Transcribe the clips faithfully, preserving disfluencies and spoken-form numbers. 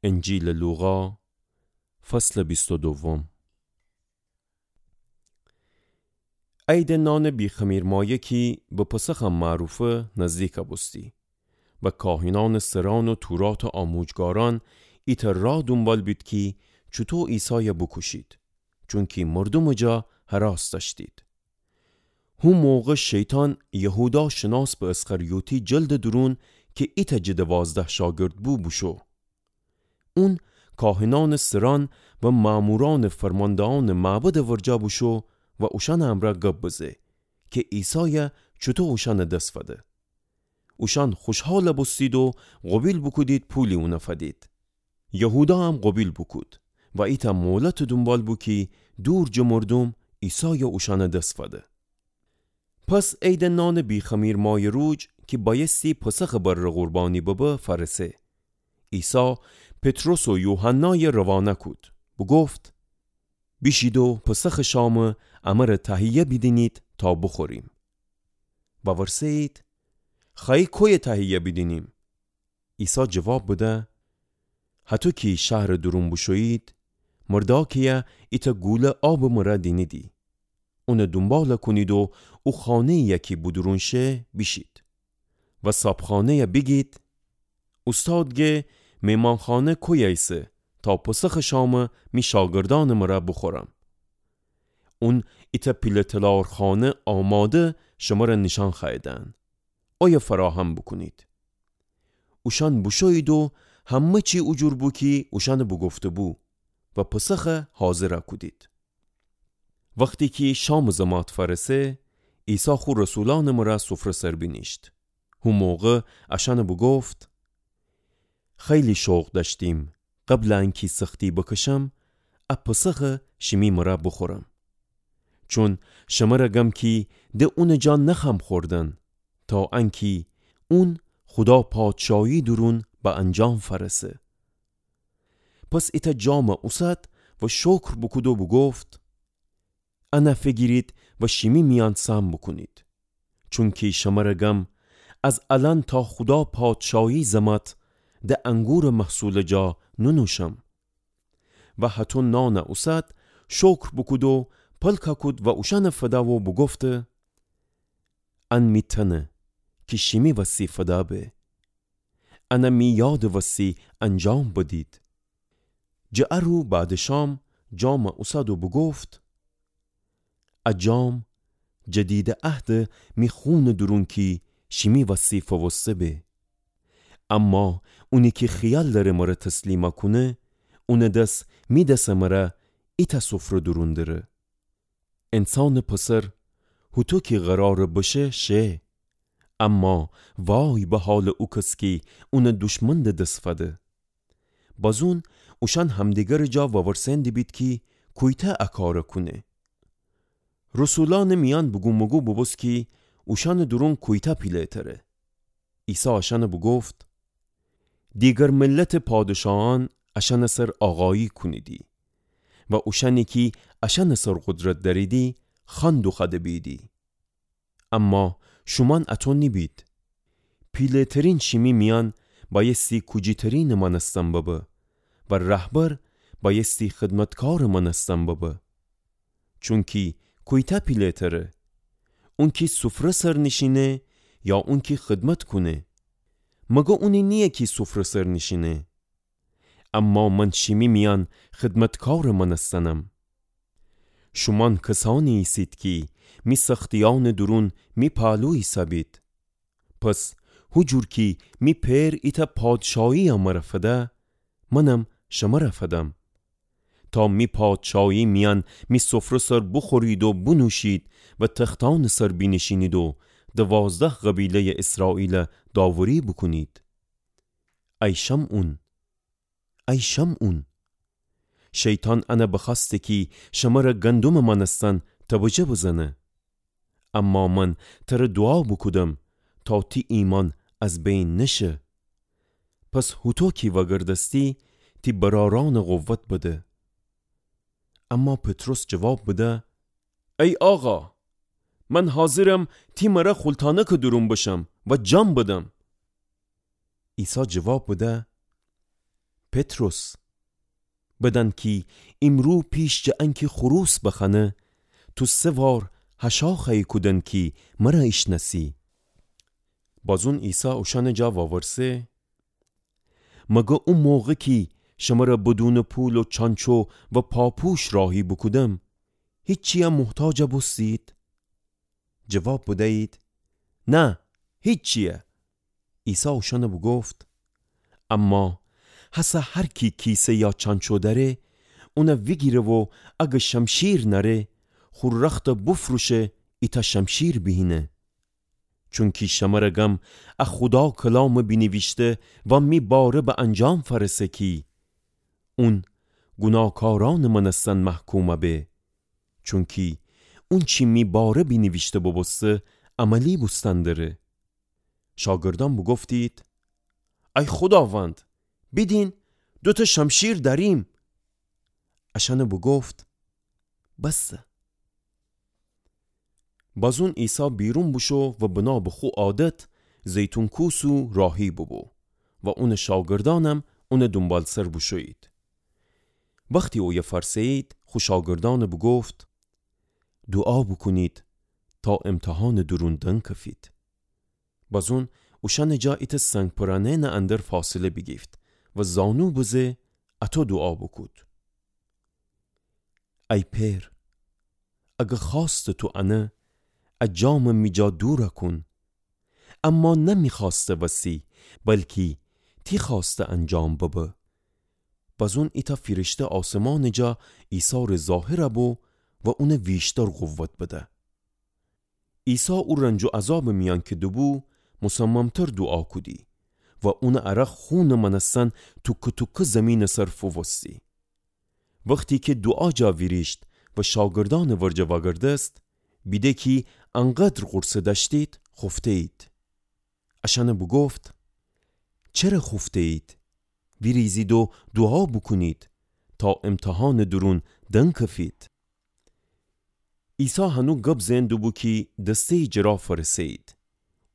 انجیلٚ لوقا، فصلٚ بیست و دوم. عیدٚ نانٚ بیخمیر مایه کی به پسخم معروفه نزدیک بوستی و کاهنأنٚ سرأن و توراتٚ آموجگارأن ایتأ راه دونبال بید کی چوطو عیسای بوکوشید، چونکی مردومٚ جا هراس دأشتید. هو موقع شیطان یهودا شناس به اسخریوطی جلدٚ دورون کی ایتأ جٚه دوازده شاگرد بو بوشو. اون کاهنأنٚ سرأن و مأمورأنٚ فرماندهأنٚ معبدٚ ورجه بوشو و اوشأنٚ امرأ گب بزه کی عیسای چوطو اوشأنٚ دس فده. اوشأن خوشحال بوستید و قوبیل بوکودید پولی اون فدید. یهوداهم قوبیل بوکود و ایتأ مولتٚ دونبال بو کی دور جٚه مردوم عیسای اوشأنٚ دس فده. پس عیدٚ نانٚ بیخمیر مایه روج کی بأیستی پسخٚ بره قربانی ببه فأرسه. عیسی پطرس و یوحنای روانه کود، بوگفت: بیشید و پسخٚ شامٚ امر تهیه بیدینید تا بوخوریم. وورسه‌یید: خوأیی کویه تهیه بیدینیم؟ عیسی جواب بده: هطو کی شهرٚ دورون بوشویید، مردأکه‌یه ایتأ گوله آبٚ مره دینیدی. اونٚ دونبال کونید و او خانه‌یی کی بودورون شه بیشید و صابخانه‌یه بیگید: اوستاد گه مهمانخانه کویه ایسه تا پسخٚ شامٚ می شاگردأنٚ مره بوخورم. اون ایتأ پیله تلارخانه آماده شمره نیشأن خوأیدن. اویه فراهم بوکونید. اوشأن بوشویید و همه چی او جور بو کی اوشأنٚ بوگفته‌بو و پسخه حاضر کودید. وختی کی شامٚ زمات فأرسه، عیسی خو رسولأنٚ مره سفره سر بینیشت. هو موقع اشأنٚ بوگفت: خیلی شوق دأشتیم قبلٚ انکی سختی بکشم، ا پسخه شیمی مره بوخورم. چون شمره گم کی ده اونٚ جا نخوأم خوردن، تا انکی اون خودا پادشایی دورون به انجام فأرسه. پس ایتأ جامه اوسد و شکر بوکود و بوگفت: انه فیگیرید و شیمی میأن سهم بوکونید. چونکی شمره گم، از الأن تا خودا پادشایی زمات ده انگورٚ محصولٚ جا نونوشم. و هطو نانه اوسد، شکر بوکود و پلکه کود و اوشأنه فده و بوگفته: ان می تنه کی شیمی وستی فده به. انه می یادٚ وستی انجام بدید. جٚه ا رو بعدٚ شام جامه اوسد و بوگفت: ا جام جدیدٚ عهدٚ می خونٚ دورون کی شیمی وستی فوسته به. اما اونی کی خیال دأره مره تسلیم کونه، اونٚ دس می دسٚ مره ایتأ سفره دورون دره. انسانٚ پسر هوطو کی قراره بشه شه، اما وای به حالٚ او کس کی اونٚ دشمندٚ دس فده. بازون اوشأن همدیگرٚ جا وورسئن دیبید کی کویتأ ا کاره کونه. رسولأنٚ میأن بوگوموگو بوبوست کی اوشأنٚ دورون کویتأ پیله‌تره. عیسی اشأنٚ بوگفت: دیگر ملتٚ پادشاهأن اشأنٚ سر آقایی کونیدی و اوشأنی کی اشأنٚ سر قدرت دأریدی، خوأن دوخوأده بیدی. اما شومأن اطو نیبید. پیله‌ترین شیمی میأن بأیستی کوجی‌ترینٚ مأنستن ببه و رهبر بأیستی خدمتکارٚ مأنستن ببه. چونکی کویتأ پیله‌تره؟ اونکی سفره سر نیشینه یا اونکی خدمت کونه؟ مگه اونی نییه کی سفره سر نیشینه؟ اما من شیمی میأن خدمتکارٚ مأنستنم. شومأن کسأنی ایسید کی می سختیأنٚ دورون می پالو ایسه‌بید. پس هو جور کی می پئر ایتأ پادشاهی مره فده، منم شمره فدم. تا می پادشاهی میأن می سفره سر بوخورید و بونوشید و تختأنٚ سر بینیشینید و دوازده قبیله‌یٚ اسرائیل داوری بوکونید. ای شمعون، ای شمعون، شیطان انه بخوأسته کی شمره گندمٚ مأنستن تبجه بزنه. اما من تره دوعا بوکودم تا تی ایمأن از بین نشه. پس هوطو کی وأگردستی، تی برأرأنٚ قوت بده. اما پطرس جواب بده: ای آقا، من حاضرم تی مره خولتأنکٚ دورون بشم و جان بدم. عیسی جواب بده: پطرس، بدن کی ایمرو پیش جٚه انکی خروس بخوأنه، تو سه وار هشأ خوأیی کودن کی مر ایشنأسی. بازون عیسی اوشأنٚ جا وورسه: مگر او موقع کی شمر بدونٚ پول و چانچو و پاپوش راهی بوکودم، هیچیی محتاج بوستید؟ جواب بدیید: نه، هیچیی. عیسی اوشأن بوگفت: اما هسه هر کی کیسه یا چانچو دأره، اون ویگیره و اگر شمشیر نأره، خو رخت بفروشه، ایتأ شمشیر بیهینه. چونکی شمر گم ا خودا کلام بینیویشته و می باره به انجام فأرسه کی اون گوناکارأنٚ مأنستن محکوم به. چونکی اونچی می باره بینیویشته بوبوسته عملی بوستن دره. شاگردأن بوگفتید: ای خوداوند، بیدین، دوتأ شمشیر دأریم. اشأن بوگفت: بسه. بازون عیسی بیرون بوشو و بنا به خو عادت زیتون کوسو راهی بوبو و اونٚ شاگردأنم اونٚ دونبالسر بوشویید. وختی اویه فأرسهیید، خو شاگردأن بوگفت: دوعا بوکونید تا امتحانٚ دورون دنکفید. بازون اوشأنٚ جا ایتأ سنگ پرانهنٚ اندر فاصله بیگیفت و زانو بزه اطو دوعا بوکود: ای پئر، اگر خوأستٚ تو انه، ا جام می جا دور کون. اما نه می خوأسته وسی، بلکی تی خوأسته انجام ببه. بازون ایتأ فیرشته آسمانٚ جا عیسی ره ظاهر بو و اون ویشتر قوت بده. عیسی او رنج و عذابٚ میأن کی دوبو، مصممتر دوعا کودی و اونٚ عرق خونٚ مأنستن توکه توکه زیمینٚ سر فووستی. وختی کی دوعا جا ویریشت و شاگردأنٚ ورجه وأگردست، بیده کی انقدر غورصه دأشتید، خوفتهیید. اشأن بوگفت: چره خوفتهیید؟ ویریزید و دوعا بوکونید تا امتحانٚ دورون دنکفید. عیسی هنو گب زئن دوبو کی دستهیی جٚه را فأرسهیید.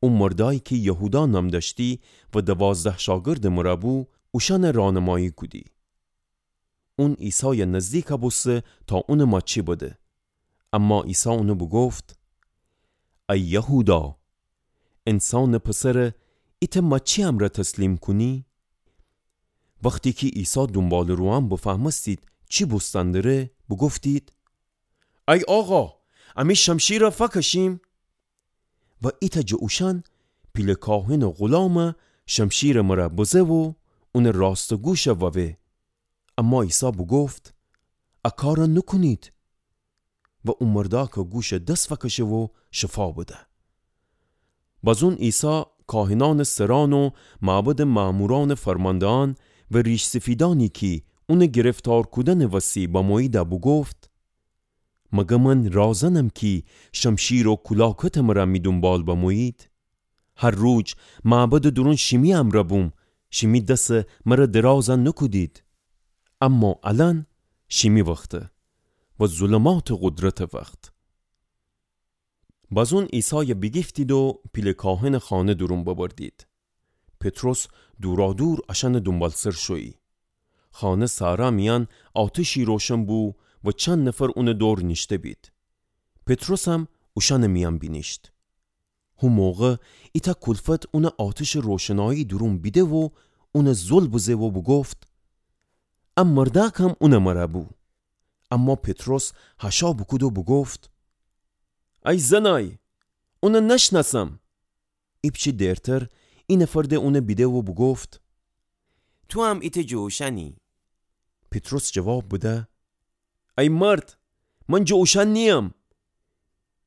او مردأیی کی یهودا نام دأشتی و دوازده شاگردٚ مر بو، اوشأن رانمایی کودی. اون عیسای نزدیک بوسته تا اونٚ ماچی بده. اما عیسی اون بوگفت: ای یهودا، انسانٚ پسر ایتأ ماچی امرأ تسلیم کونی؟ وختی کی عیسی دونباله‌رویأن بفهمستید چی بوستن دره، بوگفتید: ای آقا، امی شمشیر فکشیم؟ و ایتأ جٚه اوشأن پیله کاهنٚ غلام شمشیرٚ مر بزه و اونٚ راستٚ گوش ووه. اما عیسی بوگفت: ا کار نوکونید. و او مردأک گوش دس فکشه و شفا بده. بازون عیسی کاهنأنٚ سرأن و معبدٚ مأمورأنٚ فرماندهأن و ریش‌سفیدأنی کی اون گرفتار کودنٚ وسی بموییدی بوگفت: مگر من رازنم کی شمشیر و کولاکتٚ مر می دونبال بمویید؟ هر روج معبدٚ دورون شیمی امرأ بوم، شیمی دس مر دراز نوکودید. اما الأن شیمی وخته و ظلماتٚ قدرتٚ وخت. بازون عیسای بیگیفتید و پیله کاهنٚ خانه دورون ببردید. پطرس دورادور اشأنٚ دونبالسر شویی. خانه سأرا میأن آتشی روشن بو و چند نفر اونٚ دور نیشته‌بید. پطرسم اوشأنٚ میأن بینیشت. هو موقع ایتأ کولفت اون آتشٚ روشنایی دورون بیده و اون زل بزه و بوگفت: ا مردأکم اونٚ مر بو. اما پطرس هشا بوکود و بوگفت: ای زنای، اون نشنأسم. ایپچه دیرتر ای نفر د اون بیده و بوگفت: توام ایتأ جٚه اوشأنی. پطرس جواب بده: ای مرد، من جٚه اوشأن نییم.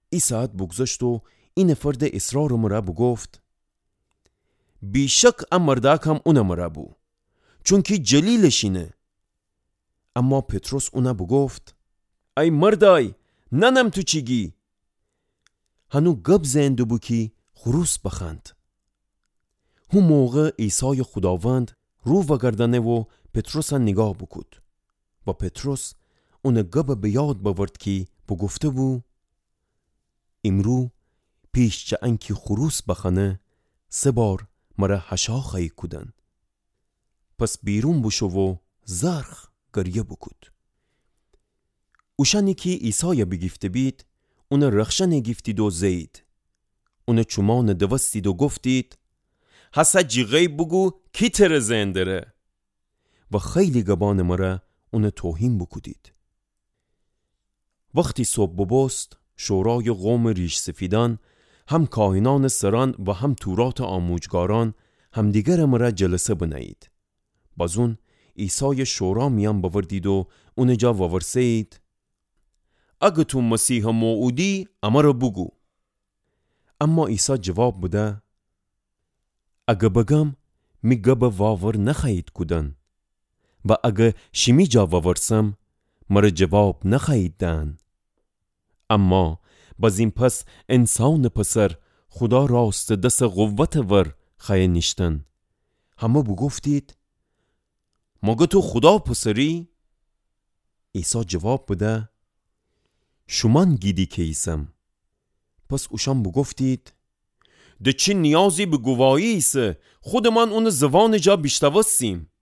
ای ساعت بوگذشت و ای نفر د اصرارٚ مر بوگفت: بی‌شک ا مردأکم اونٚ مر بو، چونکی جلیلٚ شینه. اما پطرس اون بوگفت: ای مردأی، نأنم تو چی گی. هنو گب زئن دوبو کی خروس بخوأند. هو موقع عیسای خوداوند رو وأگردأنه و پطرس نیگاه بوکود. و پطرس اونٚ گب به یاد بأورد کی بوگفته‌بو: ایمرو پیش جٚه انکی خروس بخوأنه، سه بار مر هشا خوأیی کودن. پس بیرون بوشو و زرخ گریه بوکود. اوشأنی کی عیسای بیگیفته بید، اونٚ رخشأن گیفتید و زهیید. اونٚ چومأن دوستید و گفتید: هسه جیغه‌یی بوگو کی تره زئن دره؟ و خیلی گبأنٚ مره اون توهین بوکودید. وختی صبح ببوست، شورایٚ قومٚ ریش‌سفیدأن، هم کاهنأنٚ سرأن و هم توراتٚ آموجگارأن، همدیگرٚ مره جلسه بنهیید. بازون عیسای شورا میأن بأوردید و اونٚ جا وورسهیید: اگه تو مسیحٚ موعودی، امره بوگو. اما عیسی جواب بده: اگه بگم، می گبٚ واور نخوأیید کودن. و اگه شیمی جا وورسم، مره جواب نخوأیید دأن. اما بزین پس انسانٚ پسر خودا راستٚ دسٚ قوتٚ ور خوأیه نیشتن. همه بوگفتید: مگه تو خودا پسری؟ عیسی جواب بده: شومأن گیدی کی ایسم. پس اوشأن بوگفتید: د چی نیازی به گواهی ایسه؟ خودمان اونٚ زوانٚ جا بیشتوستیم.